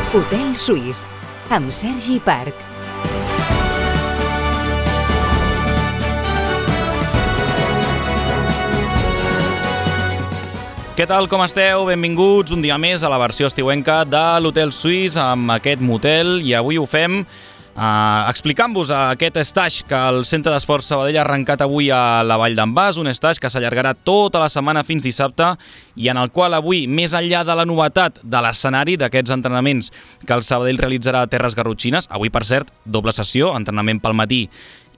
Hotel Suís, amb Sergi Parc. Què tal, com esteu? Benvinguts un dia més a la versió estiuenca de l'Hotel Suís amb aquest motel, i avui ho fem explicant-vos aquest stage que el Centre d'Esports Sabadell ha arrencat avui a la Vall d'en Bas, un stage que s'allargarà tota la setmana fins dissabte i en el qual avui, més enllà de la novetat de l'escenari d'aquests entrenaments que el Sabadell realitzarà a Terres Garrotxines, avui per cert, doble sessió, entrenament pel matí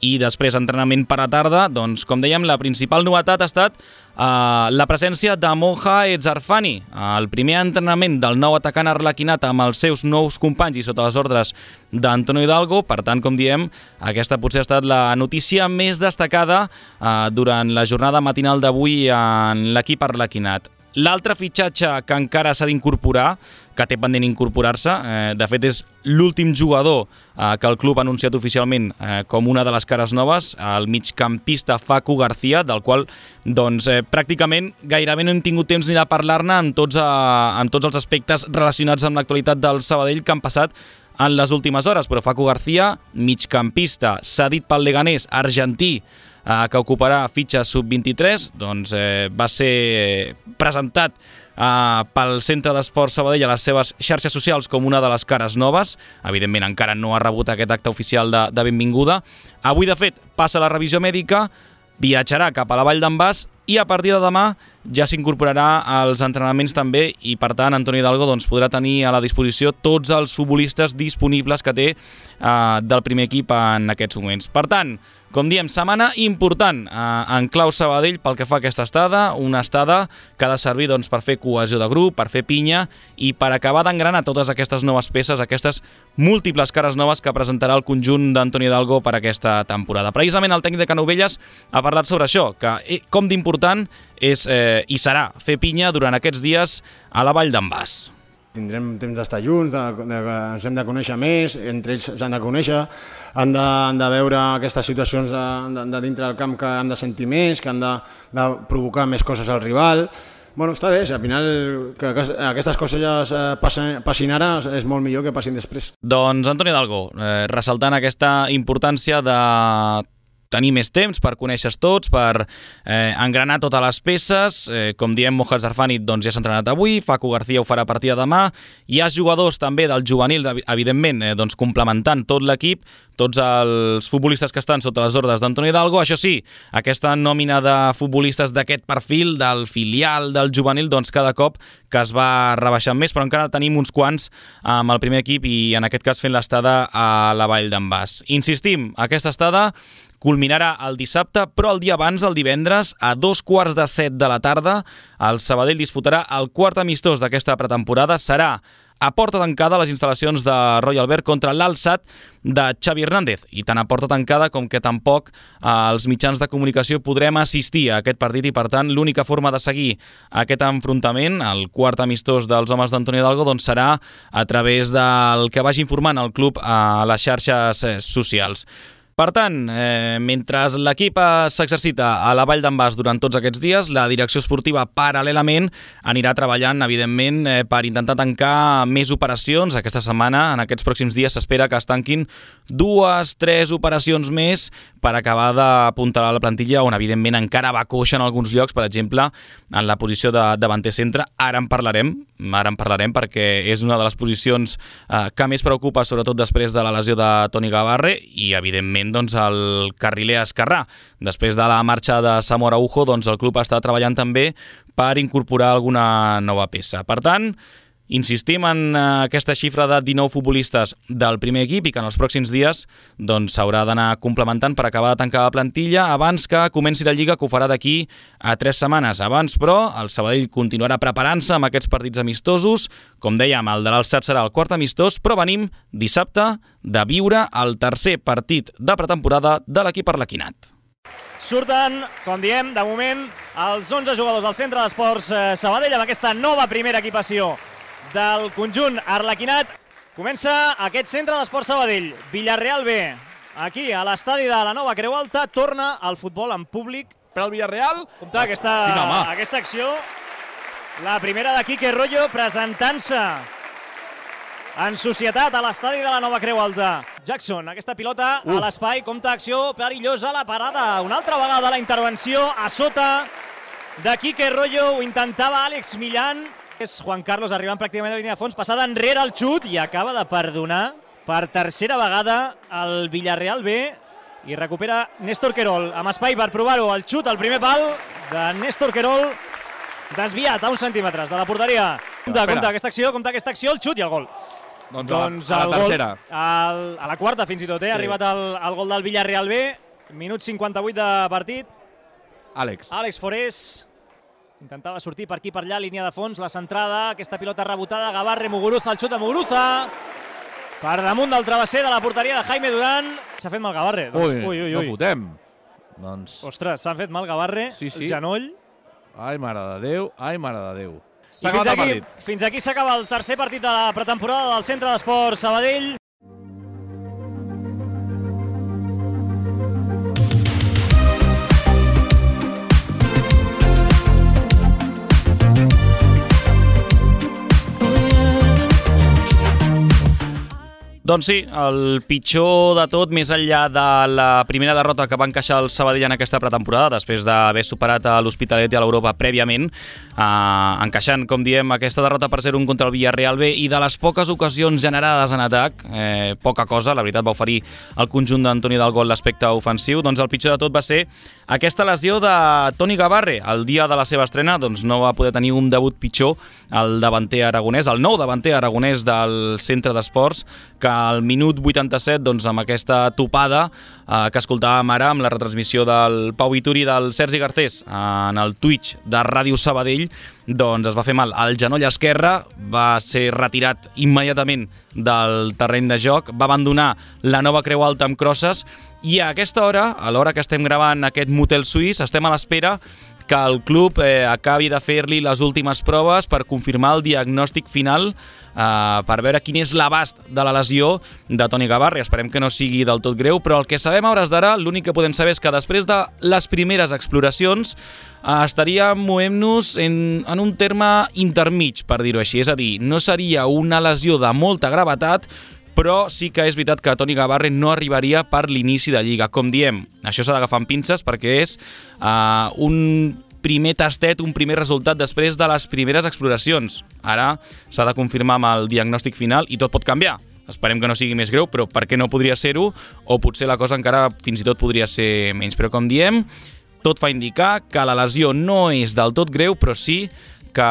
i després entrenament per a tarda, doncs com dèiem, la principal novetat ha estat la presència de Moja Etzarfani, el primer entrenament del nou atacant arlequinat amb els seus nous companys i sota les ordres d'Antonio Hidalgo. Per tant, com diem, aquesta potser ha estat la notícia més destacada durant la jornada matinal d'avui en l'equip arlequinat. L'altre fitxatge que encara s'ha d'incorporar, que té pendent incorporar-se, de fet és l'últim jugador que el club ha anunciat oficialment com una de les cares noves, el migcampista Facu García, del qual doncs, pràcticament gairebé no hem tingut temps ni de parlar-ne amb tots els aspectes relacionats amb l'actualitat del Sabadell que han passat en les últimes hores. Però Facu García, migcampista, cedit pel Leganés, argentí, que ocuparà fitxa sub-23, doncs va ser presentat pel Centre d'Esports Sabadell a les seves xarxes socials com una de les cares noves. Evidentment encara no ha rebut aquest acte oficial de benvinguda. Avui, de fet, passa la revisió mèdica, viatjarà cap a la Vall d'en Bas i a partir de demà ja s'incorporarà als entrenaments també i, per tant, Antonio Hidalgo doncs, podrà tenir a la disposició tots els futbolistes disponibles que té del primer equip en aquests moments. Per tant, com diem, setmana important en clau Sabadell pel que fa a aquesta estada, una estada que ha de servir doncs, per fer cohesió de grup, per fer pinya i per acabar d'engranar totes aquestes noves peces, aquestes múltiples cares noves que presentarà el conjunt d'Antonio Hidalgo per aquesta temporada. Precisament el tècnic de Canovelles ha parlat sobre això, que com d'important és i serà fer pinya durant aquests dies a la Vall d'en Bas. Tindrem temps d'estar junts, ens hem de conèixer més, entre ells s'han de conèixer, han de veure aquestes situacions de dintre del camp que han de sentir més, que han de provocar més coses al rival. Bueno, està bé, al final que aquestes coses ja passin ara és molt millor que passin després. Doncs Antonio Hidalgo, ressaltant aquesta importància de tenir més temps per conèixer tots, per engranar totes les peces. Com diem, Moja Etzarfani doncs, ja s'ha entrenat avui, Facu García ho farà a partir de demà. Hi ha jugadors també del juvenil, evidentment, doncs, complementant tot l'equip, tots els futbolistes que estan sota les ordres d'Antonio Hidalgo. Això sí, aquesta nòmina de futbolistes d'aquest perfil, del filial, del juvenil, doncs cada cop que es va rebaixant més, però encara tenim uns quants amb el primer equip i en aquest cas fent l'estada a la Vall d'en Bas. Insistim, aquesta estada culminarà el dissabte, però el dia abans, el divendres, a 6:45 de la tarda, el Sabadell disputarà el quart amistós d'aquesta pretemporada. Serà a porta tancada a les instal·lacions de Royal Albert contra l'Alsat de Xavi Hernández. I tant a porta tancada com que tampoc els mitjans de comunicació podrem assistir a aquest partit i, per tant, l'única forma de seguir aquest enfrontament, el quart amistós dels homes d'Antonio Hidalgo, doncs serà a través del que vagi informant el club a les xarxes socials. Per tant, mentre l'equip s'exercita a la Vall d'en Bas durant tots aquests dies, la direcció esportiva paral·lelament anirà treballant, evidentment, per intentar tancar més operacions. Aquesta setmana, en aquests pròxims dies, s'espera que es tanquin 2-3 operacions més per acabar d'apuntalar la plantilla, on, evidentment, encara va coixa en alguns llocs, per exemple, en la posició de davanter centre. Ara en parlarem perquè és una de les posicions que més preocupa, sobretot després de la lesió de Toni Gavarre i, evidentment, doncs, el carriler esquerrà. Després de la marxa de Samu Araujo, doncs, el club està treballant també per incorporar alguna nova peça. Per tant, insistim en aquesta xifra de 19 futbolistes del primer equip i que en els pròxims dies doncs, s'haurà d'anar complementant per acabar de tancar la plantilla abans que comenci la Lliga, que ho farà d'aquí a 3 setmanes. Abans, però, el Sabadell continuarà preparant-se amb aquests partits amistosos. Com dèiem, el de l'Alsat serà el quart amistós, però venim dissabte de viure el tercer partit de pretemporada de l'equip arlequinat. Surten, com diem, de moment, els 11 jugadors del Centre d'Esports Sabadell amb aquesta nova primera equipació del conjunt arlequinat. Comença aquest Centre d'Esports Sabadell. Villarreal B, aquí a l'estadi de la Nova Creu Alta, torna al futbol en públic. Per al Villarreal, compte aquesta acció, la primera de Quique Royo presentant-se en societat a l'estadi de la Nova Creu Alta. Jackson, aquesta pilota a l'espai, compta acció perillosa, la parada. Una altra vegada la intervenció a sota de Quique Royo, ho intentava Àlex Millán. És Juan Carlos arribant pràcticament a la línia de fons, passada enrere el xut i acaba de perdonar per tercera vegada el Villarreal B i recupera Néstor Querol amb espai per provar-ho. El xut al primer pal de Néstor Querol, desviat a uns centímetres de la porteria. Compte aquesta acció, el xut i el gol. Doncs a la tercera. A la quarta fins i tot, ha arribat el gol del Villarreal B. Minut 58 de partit. Àlex Forés intentava sortir per aquí per allà, línia de fons, la centrada, aquesta pilota rebotada, Gavarre, Muguruza, el xut de Muguruza, per damunt del travesser de la porteria de Jaime Durán. S'ha fet mal Gavarre. Ui, no fotem. Ostres, s'han fet mal Gavarre, el genoll. Ai, mare de Déu. Fins aquí s'acaba el tercer partit de la pretemporada del Centre d'Esports Sabadell. Doncs sí, el pitjor de tot, més enllà de la primera derrota que va encaixar el Sabadell en aquesta pretemporada, després d'haver superat a l'Hospitalet i a l'Europa prèviament, encaixant, com diem, aquesta derrota per 0-1 contra el Villarreal B, i de les poques ocasions generades en atac, poca cosa, la veritat va oferir el conjunt d'Antoni Dalgol l'aspecte ofensiu, doncs el pitjor de tot va ser aquesta lesió de Toni Gavarre. El dia de la seva estrena doncs no va poder tenir un debut pitjor el davanter aragonès, el nou davanter aragonès del Centre d'Esports, que al minut 87, doncs, amb aquesta topada que escoltàvem ara amb la retransmissió del Pau Vituri i del Sergi Garcés en el Twitch de Ràdio Sabadell, doncs es va fer mal al genoll esquerre, va ser retirat immediatament del terreny de joc, va abandonar la Nova Creu Alta amb crosses, i a aquesta hora, a l'hora que estem gravant aquest motel suís, estem a l'espera que el club acabi de fer-li les últimes proves per confirmar el diagnòstic final, per veure quin és l'abast de la lesió de Toni Gavarre. Esperem que no sigui del tot greu, però el que sabem a hores d'ara, l'únic que podem saber és que després de les primeres exploracions estaríem movent-nos en un terme intermig, per dir-ho així. És a dir, no seria una lesió de molta gravetat, però sí que és veritat que Toni Gavarre no arribaria per l'inici de Lliga. Com diem, això s'ha d'agafar amb pinces perquè és un primer tastet, un primer resultat després de les primeres exploracions. Ara s'ha de confirmar amb el diagnòstic final i tot pot canviar. Esperem que no sigui més greu, però per què no podria ser-ho? O potser la cosa encara fins i tot podria ser menys. Però com diem, tot fa indicar que la lesió no és del tot greu, però sí que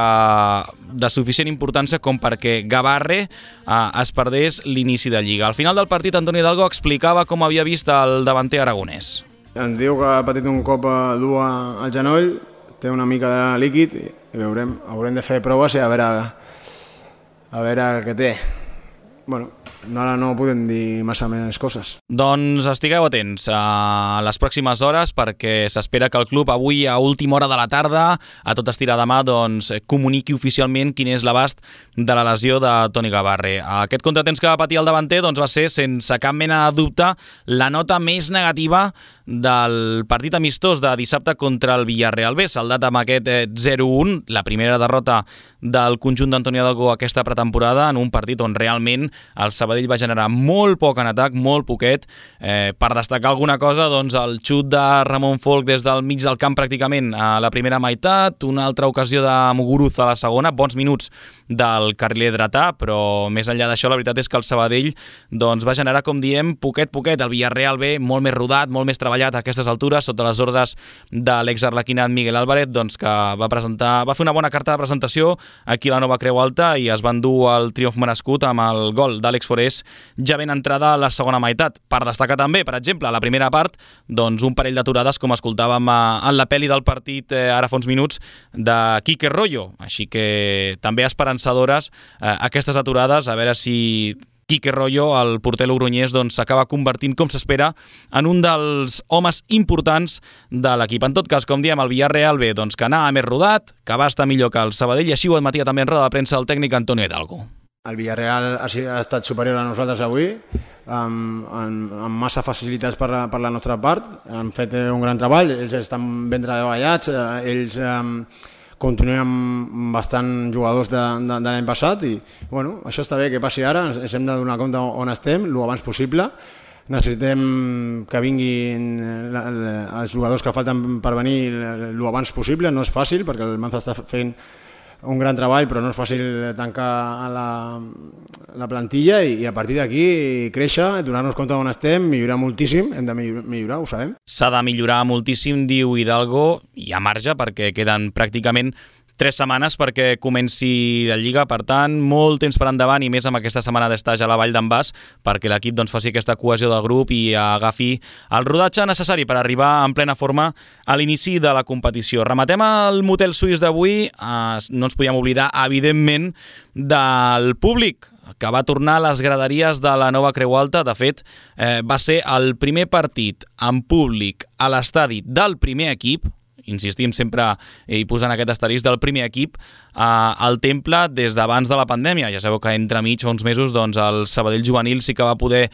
de suficient importància com perquè Gavarre es perdés l'inici de Lliga. Al final del partit, Antoni Hidalgo explicava com havia vist el davanter aragonès. Em diu que ha patit un cop dur al genoll, té una mica de líquid i veurem, haurem de fer proves i a veure què té. Bueno, ara no podem dir massa més coses. Doncs estigueu atents a les pròximes hores perquè s'espera que el club avui a última hora de la tarda, a tot estirar demà, doncs comuniqui oficialment quin és l'abast de la lesió de Toni Gavarre. Aquest contratemps que va patir el davanter doncs, va ser, sense cap mena de dubte, la nota més negativa del partit amistós de dissabte contra el Villarreal B, saldat amb aquest 0-1, la primera derrota del conjunt d'Antoni Hidalgo aquesta pretemporada, en un partit on realment el Sabadell va generar molt poc en atac, molt poquet. Per destacar alguna cosa, doncs el xut de Ramon Folk des del mig del camp pràcticament a la primera meitat, una altra ocasió de Muguruza a la segona, bons minuts del carriler dretà, però més enllà d'això la veritat és que el Sabadell doncs, va generar, com diem, poquet. El Villarreal B, molt més rodat, molt més treballat a aquestes altures, sota les ordres de l'exarlequinat Miguel Álvarez, doncs, que va fer una bona carta de presentació aquí a la Nova Creu Alta i es va endur el triomf merescut amb el gol d'Àlex Forés ja ben entrada a la segona meitat. Per destacar també, per exemple, a la primera part, doncs un parell d'aturades, com escoltàvem en la pel·li del partit ara fa uns minuts, de Quique Royo. Així que també esperançadores aquestes aturades, a veure si Quique Royo, el porter logroñès, doncs s'acaba convertint, com s'espera, en un dels homes importants de l'equip. En tot cas, com diem, el Villarreal B, doncs que anava més rodat, que va estar millor que el Sabadell, i així ho admetia també en roda de premsa el tècnic Antonio Hidalgo. El Villarreal ha estat superior a nosaltres avui, amb massa facilitats per la nostra part. Han fet un gran treball, ells estan ben treballats, ells continuem amb bastant jugadors de l'any passat i bueno, això està bé que passi ara, ens hem de donar compte on estem, el abans possible. Necessitem que vinguin els jugadors que falten per venir el abans possible, no és fàcil perquè el Manza està fent un gran treball, però no és fàcil tancar la plantilla i a partir d'aquí créixer, donar-nos compte on estem, millorar moltíssim, hem de millorar, ho sabem. S'ha de millorar moltíssim, diu Hidalgo, i a marge perquè queden pràcticament 3 setmanes perquè comenci la Lliga, per tant, molt temps per endavant i més amb aquesta setmana d'estatge a la Vall d'en Bas perquè l'equip faci aquesta cohesió del grup i agafi el rodatge necessari per arribar en plena forma a l'inici de la competició. Rematem el motel suís d'avui, no ens podíem oblidar, evidentment, del públic que va tornar a les graderies de la nova Creu Alta. De fet, va ser el primer partit en públic a l'estadi del primer equip, insistim sempre i posant aquest asterisc del primer equip al Temple des d'abans de la pandèmia. Ja sabeu que entremig fa uns mesos el Sabadell juvenil sí que va poder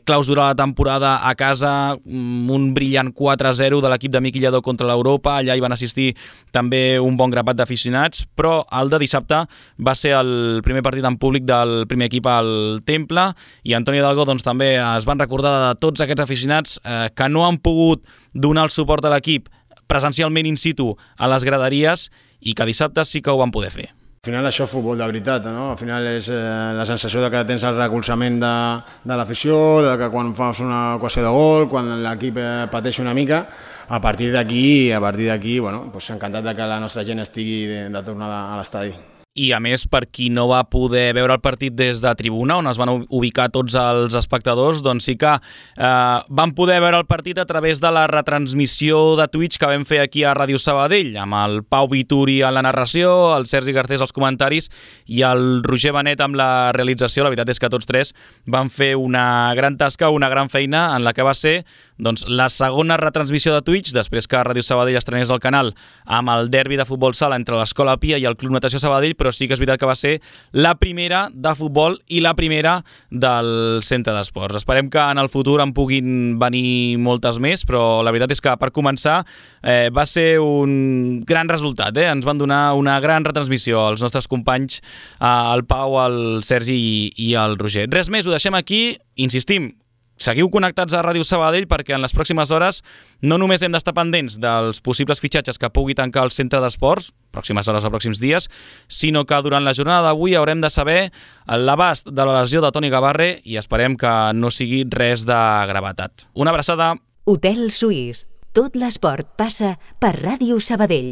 clausurar la temporada a casa, un brillant 4-0 de l'equip de Miqui Lladó contra l'Europa. Allà hi van assistir també un bon grapat d'aficionats, però el de dissabte va ser el primer partit en públic del primer equip al Temple i Antonio Hidalgo també es van recordar de tots aquests aficionats que no han pogut donar el suport a l'equip presencialment in situ a les graderies i que dissabte sí que ho van poder fer. Al final això és futbol de veritat, no? Al final és la sensació de que tens el recolzament de l'afició, de que quan fas una ocasió de gol, quan l'equip pateix una mica, a partir d'aquí, bueno, pues encantat de que la nostra gent estigui de tornada a l'estadi. I a més, per qui no va poder veure el partit des de tribuna, on es van ubicar tots els espectadors, sí que van poder veure el partit a través de la retransmissió de Twitch que vam fer aquí a Ràdio Sabadell, amb el Pau Vituri a la narració, el Sergi Garcés als comentaris i el Roger Benet amb la realització. La veritat és que tots tres van fer una gran tasca, una gran feina en la que va ser la segona retransmissió de Twitch, després que Ràdio Sabadell estrenés el canal amb el derbi de futbol sala entre l'Escola Pia i el Club Natació Sabadell, però sí que és veritat que va ser la primera de futbol i la primera del centre d'esports. Esperem que en el futur en puguin venir moltes més, però la veritat és que per començar va ser un gran resultat. Ens van donar una gran retransmissió els nostres companys, el Pau, el Sergi i el Roger. Res més, ho deixem aquí. Insistim, seguiu connectats a Ràdio Sabadell perquè en les pròximes hores no només hem d'estar pendents dels possibles fitxatges que pugui tancar el centre d'esports, pròximes hores o pròxims dies, sinó que durant la jornada d'avui haurem de saber l'abast de la lesió de Toni Gavarre i esperem que no sigui res de gravetat. Una abraçada. Hotel Suís. Tot l'esport passa per Ràdio Sabadell.